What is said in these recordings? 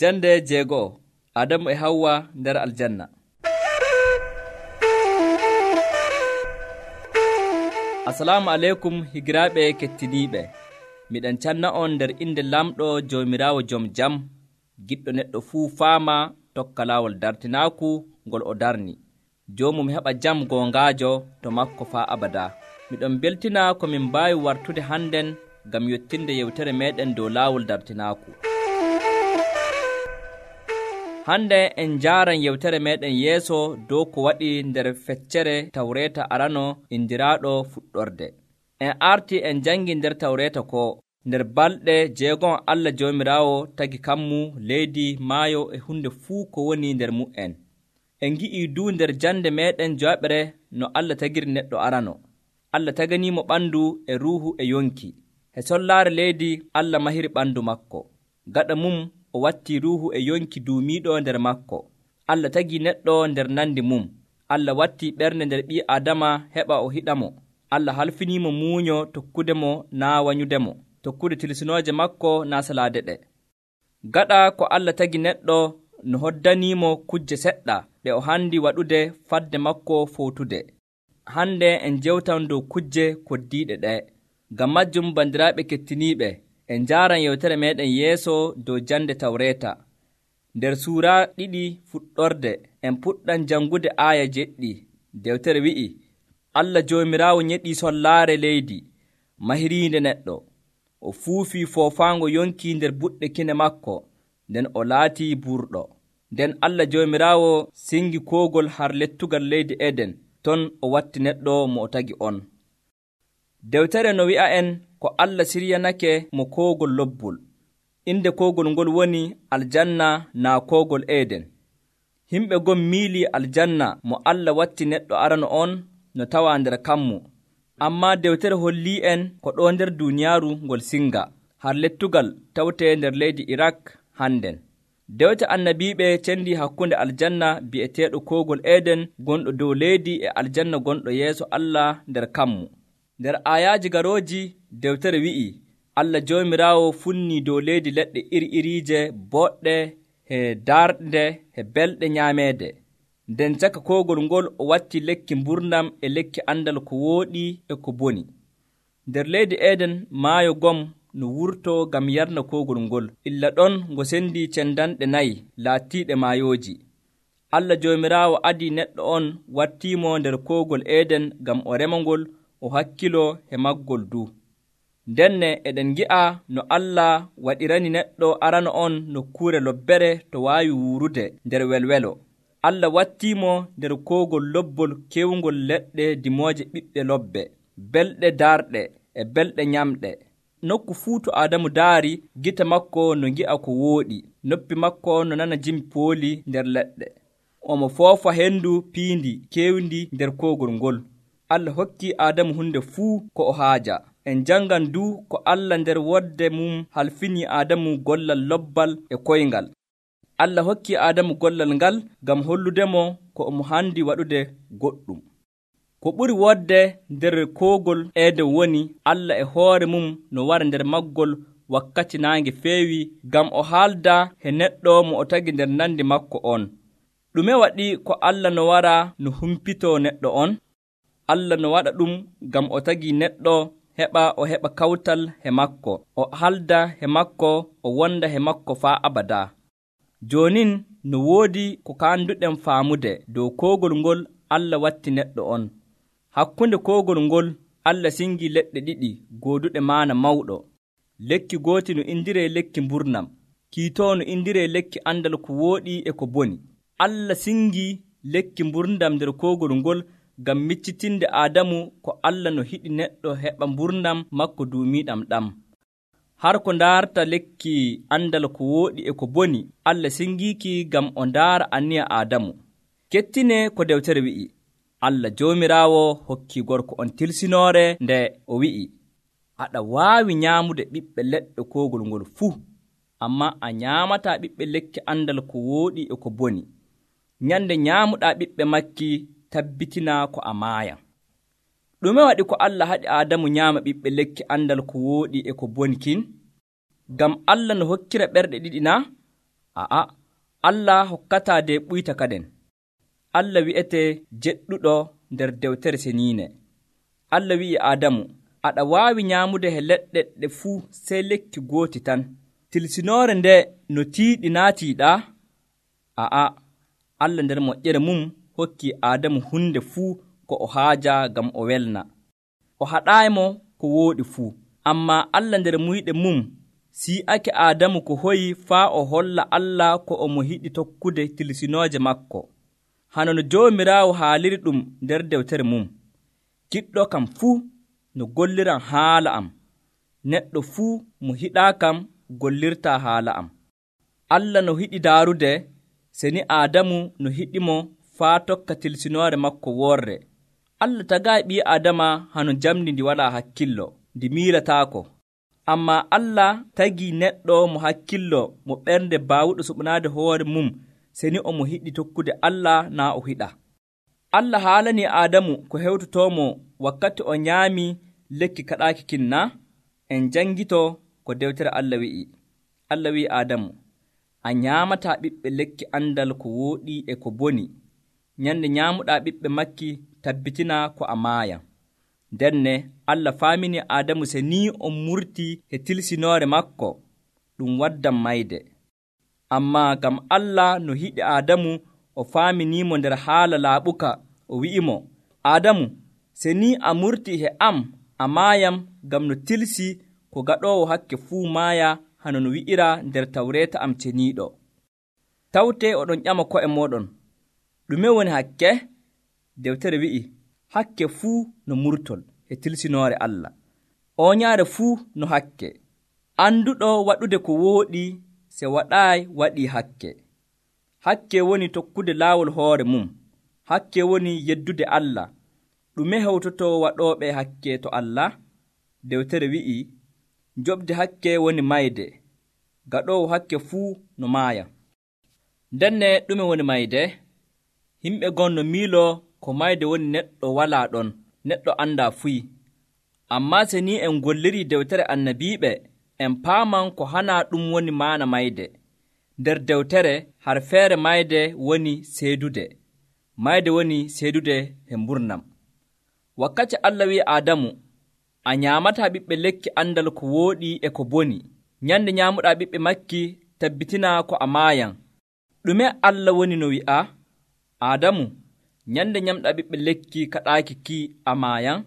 Jande jeego'o Adamu e Hawwa nder aljanna. Assalamu aleykum higiraaɓe kettiniiɓe. Miɗen canna'on nder inde lamɗo Joomiraawo jom jam, giɗɗo neɗɗo fuu faama tokka laawol dartinaaku ngol o darni. Joomum heɓa jam goongaajo to makko faa abadaa. Miɗon beltina ko min mbaawi wartude hannden ngam yottinde yewtere meeɗen dow laawol dartinaaku. Hande en njaaran yewtere meeɗen yeeso dow ko waɗi nder feccere Tawreeta arano indiraaɗo fuɗɗorde. En arti en jangi nder Tawreeta ko nder balɗe 6 Allah Joomiraawo tagi kammu leydi maayo e hunde fuu ko woni nder mu'en. En ngi'ii du nder jande meeɗen jooɓere no Allah tagiri neɗɗo arano. Allah taganiimo ɓandu e ruuhu e yonki. He sollaare leydi Allah mahiri ɓandu makko. Gaɗa mum o watti ruuhu e yonki duumiiɗo nder makko. Allah tagi neɗɗo nder nandi mum. Allah watti ɓernde nder ɓii Adama heɓa o hiɗamo. Allah halfiniimo muuño tokkude mo naa wanyudemo, tokkude tilsinooje makko naa salaade ɗe. Gaɗa ko Allah tagi neɗɗo no hoddaniimo kujje seɗɗa ɗe o handi waɗude fadde makko fowtude. Hande en jewtan dow kujje koddiiɗe ɗe. Ngam majjum bandiraaɓe kettiniiɓe, en njaaran yewtere meeɗen yeeso dow jande Tawreeta. Nder suura 2 fuɗɗorde en puɗɗan jangude aaya 7. Dewtere wi'i, Allah Joomiraawo nyeɗii sollaare leydi, mahiriinde neɗɗo. O fuufii foofaango yonki nder buɗɗe kine makko, nden o laatii burɗo. Nden Allah Joomiraawo singi koogol har lettugal leydi Eden, ton o watti neɗɗo mo o tagi on. Dewtere no wi'a en ko Allah siryanake mo koogol lobbol. Inde koogol ngol woni aljanna naa koogol Eden. Himɓe gon miilii aljanna mo Allah watti neɗɗo arano on no tawa nder kammu. Ammaa dewtere hollii en ko ɗo nder duuniyaaru ngol singa, har lettugal tawtee nder leydi Irak hannden. Dewte annabiiɓe cendii hakkunde aljanna bi'eteeɗo koogol Eden gonɗo dow leydi e aljanna gonɗo yeeso Allah nder kammu. Nder aayaaji garooji dewtere wi'i, Allah Joomiraawo funnii dow leydi leɗɗe iri-iriije boɗɗe e darɗe e belɗe nyaameede. Nden caka koogol ngol o watti lekki mburnam e lekki andal ko wooɗi e ko boni. Nder leydi Eden maayo gom no wurtoo ngam yarna koogol ngol, illa ɗon ngo sendii cendanɗe 4 laatiiɗe maayooji. Allah Joomiraawo adii neɗɗo on wattiimo nder koogol Eden ngam o rema ngol, o hakkiloo e maggol du. Ndenne eɗen ngi'a no Allah waɗirani neɗɗo arano on nokkuure lobbere to waawi wuurude nder welwelo. Allah wattiimo nder koogol lobbol kewngol leɗɗe dimooje ɓiɓɓe lobbe, belɗe darɗe e belɗe nyamɗe. Nokku fuu to Adamu daari, gite makko no ngi'a ko wooɗi, noppi makko no nana jimi pooli nder leɗɗe. Omo foofa hendu piindi kewndi nder koogol ngol. Allah hokki Adamu hunde fuu ko o haaja. En jangan du ko Allah nder wodde mum halfini Adamu gollal lobbal e koyngal. Allah hokki Adamu gollal ngal ngam holludemo ko omo handi waɗude goɗɗum. Ko ɓuri wodde nder koogol Eden woni Allah e hoore mum no wara nder maggol wakkati naange feewi ngam o haalda e neɗɗo mo o tagi nder nandi makko on. Ɗume waɗi ko Allah no wara no humpitoo neɗɗo on? Allah no waɗa ɗum ngam o tagi neɗɗo heɓa o heɓa kawtal he makko, o halda he makko, o wonda he makko faa abadaa. Joonin no woodi ko kaanduɗen faamude dow koogol ngol Allah watti neɗɗo on. Hakkunde koogol ngol Allah singi leɗɗe 2 gooduɗe maana mawɗo. Lekki gooti no indiree lekki mburnam, kiitoo no indiree lekki andal ko wooɗi e ko boni. Allah singi lekki mburnam nder koogol ngol ngam miccitinde Adamu ko Allah no hiɗi neɗɗo heɓa mburnam makko duumiiɗam ɗam. Har ko ndaarta lekki andal ko wooɗi e ko boni, Allah singiiki ngam o ndaara aniya Adamu. Kettine ko dewtere wi'i, Allah Joomiraawo hokki gorko on tilsinoore nde o wi'i, aɗa waawi nyaamude ɓiɓɓe leɗɗe koogol ngol fuu, ammaa a nyaamataa ɓiɓɓe lekki andal ko wooɗi e ko boni. Nyande nyaamuɗaa ɓiɓɓe makki tabbitinaa ko a maaya. Ɗume waɗi ko Allah haɗi Adamu nyaama ɓiɓɓe lekki andal ko wooɗi e ko boni kin? Ngam Allah no hokkira ɓerɗe 2 naa? Allah hokkataa de ɓuyta kaden. Allah wi'etee jeɗɗuɗo nder dewtere seniine. Allah wi'i Aadamu, aɗa waawi nyaamude he leɗɗe ɗe fuu sey lekki gooti tan. Tilsinoore nde no tiiɗi naa tiiɗaa? Allah nder moƴƴere mum hokkii Aadamu hunde fuu ko o haaja ngam o welna. O haɗaaymo ko wooɗi fuu. Ammaa Allah nder muyɗe mum si'ake Aadamu ko hoyi faa o holla Allah ko omo yiɗi tokkude tilsinooje makko. Hano no Joomiraawo haaliri ɗum nder dewtere mum. Giɗɗo kam fuu no golliran haala am. Neɗɗo fuu mo hiɗaa kam gollirtaa haala am. Allah no hiɗi daarude, seni Aadamu no hiɗimo faa tokka tilsinoore makko worre. Allah tagaayi ɓii Aadama hano jamdi ndi walaa hakkillo, ndi miilataako. Ammaa Allah tagii neɗɗo mo hakkillo, mo ɓernde baawuɗo suɓanaade hoore mum, seni omo hiɗi tokkude Allah naa o hiɗa. Allah haalanii Aadamu ko hewtotoomo wakkati o nyaami lekki kaɗaaki kin na? En janngito ko dewtere Allah wi'i. Allah wi'i Aadamu, a nyaamataa ɓiɓɓe lekki andal ko wooɗi e ko boni. Nyande nyaamuɗaa ɓiɓɓe makki tabbitina ko a maaya. Denne Allah faamini Aadamu se ni o murtii he tilsinoore makko ɗum waddan mayde. Ammaa ngam Allah no hiɗi Aadamu, o faaminiimo nder haala laaɓuka, o wi'imo, Aadamu, se ni a murtii he am, a maayam ngam no tilsi ko gaɗoowo hakke fuu maaya, hano no wi'ira nder tawreeta am ceniiɗo. Tawtee oɗon ƴama ko'e mooɗon, ɗume woni hakke? Dewtere wi'i, hakke fuu no murtol e tilsinoore Allah. Oonyaare fuu no hakke. Anduɗo waɗude ko wooɗi se waɗaayi waɗii hakke. Hakke woni tokkude laawol hoore mum. Hakke woni yeddude Allah. Ɗume hewtotoo waɗooɓe hakke to Allah? Dewtere wi'i, joɓde hakke woni mayde. Gaɗoowo hakke fuu no maaya. Denne ɗume woni mayde? Himɓe gon no miiloo ko mayde woni neɗɗo walaa ɗon, neɗɗo andaa fuyi. Ammaa se ni en gollirii dewtere annabiiɓe, en paaman ko hanaa ɗum woni maana mayde. Nder dewtere har feere mayde woni seedude. Mayde woni seedude he mburnam. Wakkati Allah wi'i Aadamu, a nyaamataa ɓiɓɓe lekki andal ko wooɗi e ko boni. Nyande nyaamuɗaa ɓiɓɓe makki tabbitinaa ko a maayan. Ɗume Allah woni no wi'a? Aadamu, nyande nyamɗaa ɓiɓɓe lekki kaɗaaki ki a maayan.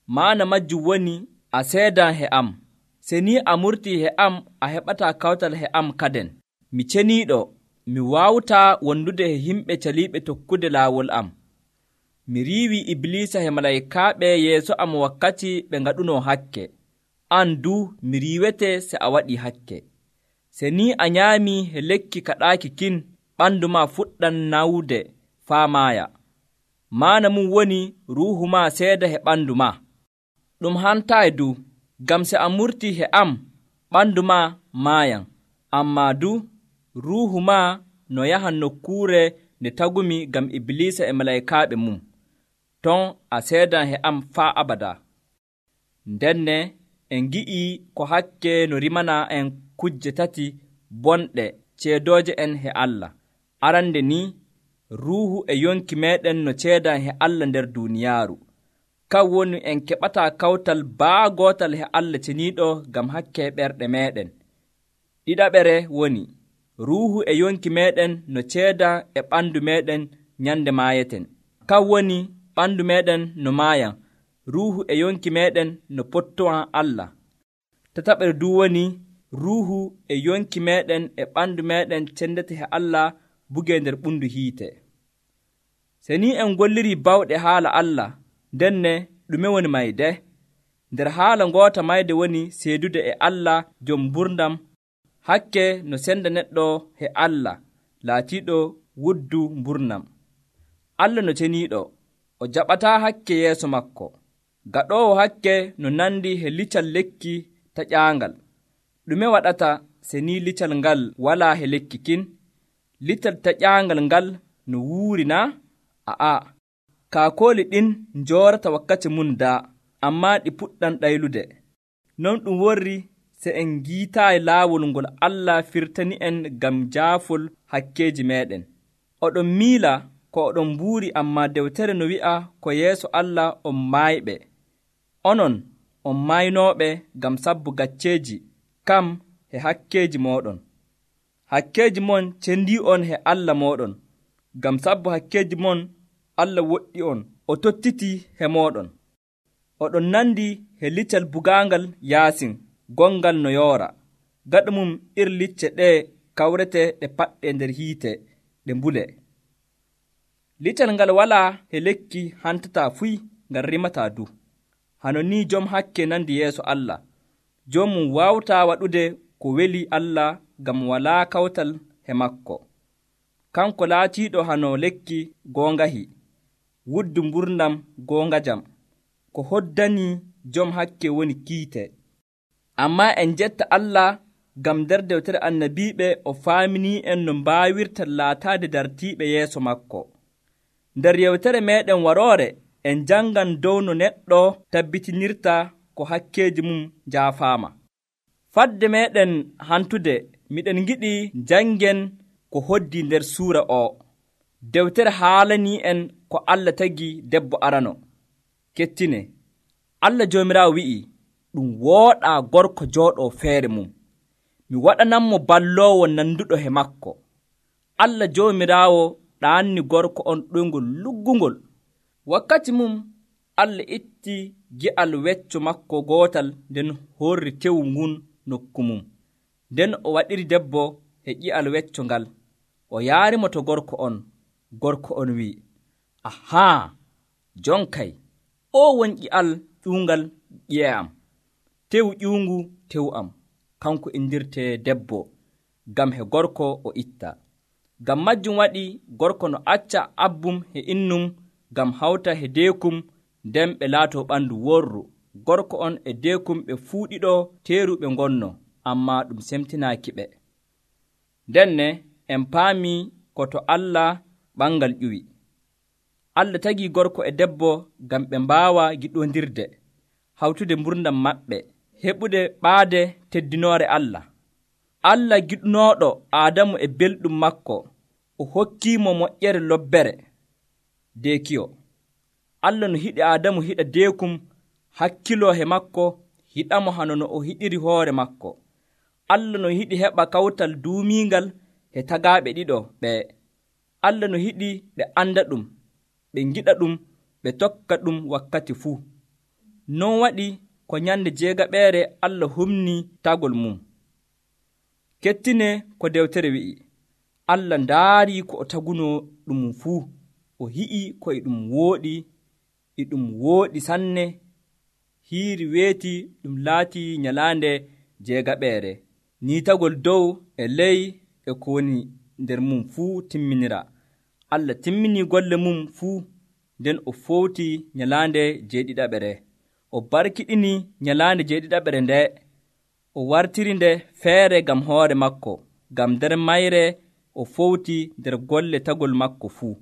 Maana majjum woni a seedan he am. Se ni a murtii he am, a heɓataa kawtal he am kaden. Mi ceniiɗo, mi waawtaa wondude he himɓe caliiɓe tokkude laawol am. Mi riiwii Ibliisa he malaykaaɓe yeeso am wakkati ɓe ngaɗunoo hakke. An duu mi riiwetee se a waɗii hakke. Se ni a nyaamii he lekki kaɗaaki kin, ɓanndu maa fuɗɗan nawde faa maaya. Maana mum woni ruuhu maa seeda he ɓanndu maa. Ɗum hantaayi du, ngam se a murtii he am, ɓanndu maa maayan. Ammaa du, ruuhu maa no yahan nokkuure nde tagumi ngam Ibliisa e malaykaaɓe mum. Ton a seedan he am faa abada. Ndenne en ngi'ii ko hakke no rimana en kujje tati bonɗe ceedooje en he Allah. Arande ni, ruuhu e yonki meeɗen no ceedan he Allah nder duuniyaaru. Kan woni en keɓataa kawtal baagootal he Allah ceniiɗo ngam hakke ɓerɗe meeɗen. Ɗiɗaɓere woni, ruuhu e yonki meeɗen no ceeda e ɓanndu meeɗen nyande maayeten. Kan woni ɓanndu meeɗen no maayan, ruuhu e yonki meeɗen no pottowan Allah. Tataɓere du woni, ruuhu e yonki meeɗen e ɓanndu meeɗen cendete he Allah bugee nder ɓundu hiite. Se ni en gollirii bawɗe haala Allah, denne ɗume woni mayde? Nder haala ngoota mayde woni seedude e Allah jom mburdam, hakke no senda neɗɗo he Allah laatiiɗo wuddu mburnam. Allah no ceniiɗo, o jaɓataa hakke yeeso makko. Gaɗoowo hakke no nandi he lical lekki taƴaangal. Ɗume waɗata se ni lical ngal walaa he lekki kin? Lical taƴaangal ngal no wuuri na? Kaakooli ɗin njoorata wakkati mum daa, ammaa ɗi puɗɗan ɗaylude. Non ɗum worri se en giitaayi laawol ngol Allah firtani en ngam jaafol hakkeeji meeɗen. Oɗon miila ko oɗon mbuuri, ammaa dewtere no wi'a ko yeeso Allah on maayɓe. Onon on maynooɓe ngam sabbu gacceeji kam he hakkeeji mooɗon. Hakkeeji mon cendii on he Allah mooɗon. Ngam sabbu hakkeeji mon Allah woɗɗi on, o tottitii he mooɗon. Oɗon nandi he liccal bugaangal Yaasin, gongal no yoora. Gaɗa mum iri licce ɗee kawrete ɗe paɗɗe nder hiite ɗe mbule. Liccal ngal walaa he lekki hantataa fuy ngal rimataa du. Hano ni jom hakke nandi yeeso Allah. Joomum waawtaa waɗude ko weli Allah ngam walaa kawtal he makko. Kanko laatiiɗo hano lekki goongahi, wuddu mburdam goongajam. Ko hoddanii jom hakke woni kiite. Ammaa en jetta Allah ngam nder dewtere annabiiɓe o faaminii en no mbaawirta laataade dartiiɓe yeeso makko. Nder yewtere meeɗen waroore en janngan dow no neɗɗo tabbitinirta ko hakkeeji mum njaafaama. Fadde meeɗen hantude miɗen ngiɗi janngen ko hoddii nder suura o. Dewtere haalanii en ko Allah tagi debbo arano. Kettine, Allah Joomiraawo wi'i, ɗum wooɗaa gorko jooɗoo feere mum. Mi waɗananmo balloowo nanduɗo he makko. Allah Joomiraawo ɗaanni gorko on ɗoyngol luggungol. Wakkati mum Allah itti gi'al wecco makko gootal, nden horri tewu ngun nokku mum. Nden o waɗiri debbo he ƴi'al wecco ngal. O yaarimo to gorko on. Gorko on wi'i, ahaa, jonkay, o woni ƴi'al ƴuungal ƴi'e am. Tewu ƴuungu tewu am. Kanko indirtee debbo, ngam he gorko o itta. Ngam majjum waɗi gorko no acca abbum he innum ngam hawta he deekum, nden ɓe laatoo ɓandu worru. Gorko on e deekum ɓe fuu ɗiɗo teeru ɓe ngonno, ammaa ɗum semtinaaki ɓe. Ndenne en paamii ko to Allah ɓangal ƴuwi. Allah tagii gorko e debbo ngam ɓe mbaawa giɗondirde, hawtude mburdam maɓɓe, heɓude ɓaade teddinoore Allah. Allah giɗnooɗo Aadamu e belɗum makko, o hokkiimo moƴƴere lobbere, deekiyo. Allah no hiɗi Aadamu hiɗa deekum, hakkiloo he makko, hiɗamo hano no o hiɗiri hoore makko. Allah no hiɗi heɓa kawtal duumiingal he tagaaɓe ɗiɗo ɓee. Allah no hiɗi ɓe anda ɗum, ɓe ngiɗa ɗum, ɓe tokka ɗum wakkati fuu. Non waɗi ko nyande 6 Allah humni tagol mum. Kettine ko dewtere wi'i, Allah ndaarii ko o tagunoo ɗum fuu, o hi'i ko e ɗum wooɗi sanne. Hiiri weeti ɗum laatii nyalaande 6. Ni tagol dow e ley e ko woni nder mum fuu timminira. Allah timminii golle mum fuu, nden o fowti nyalaande 7. O barkiɗini nyalaande 7 nde, o wartiri nde feere ngam hoore makko, ngam nder mayre o fowti nder golle tagol makko fuu.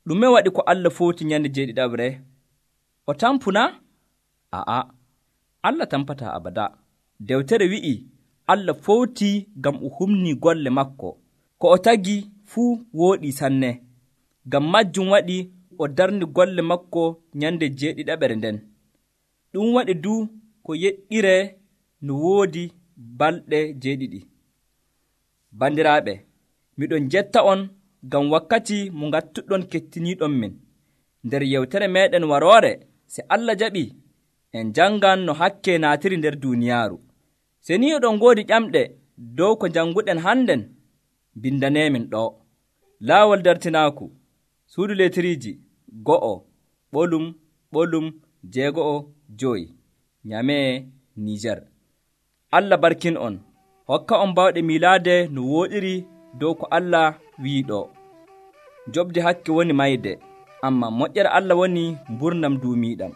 Ɗume waɗi ko Allah fowti nyande 7? O tampuna? A'a, Allah tampataa abada. Dewtere wi'i Allah fowti ngam o humni golle makko. Ko o tagi fuu wooɗi sanne. Ngam majjum waɗi o darni golle makko nyande 7 nden. Ɗum waɗi du ko yeɗɗire no woodi balɗe 7. Bandiraaɓe, miɗon jetta on ngam wakkati mo ngattuɗon kettiniiɗon min. Nder yewtere meeɗen waroore, se Allah jaɓi, en janngan no hakke naatiri nder duuniyaaru. Se ni oɗon ngoodi ƴamɗe dow ko jannguɗen hannden, bindaneemin ɗo. Laawol dartinaaku, suudu leetiriiji 1:6-5, Nyamee, Niijer. Allah barkin on, hokka on bawɗe miilaade no wooɗiri dow ko Allah wi'i ɗo. Joɓde hakke woni mayde, ammaa moƴƴere Allah woni mburnam duumiiɗam.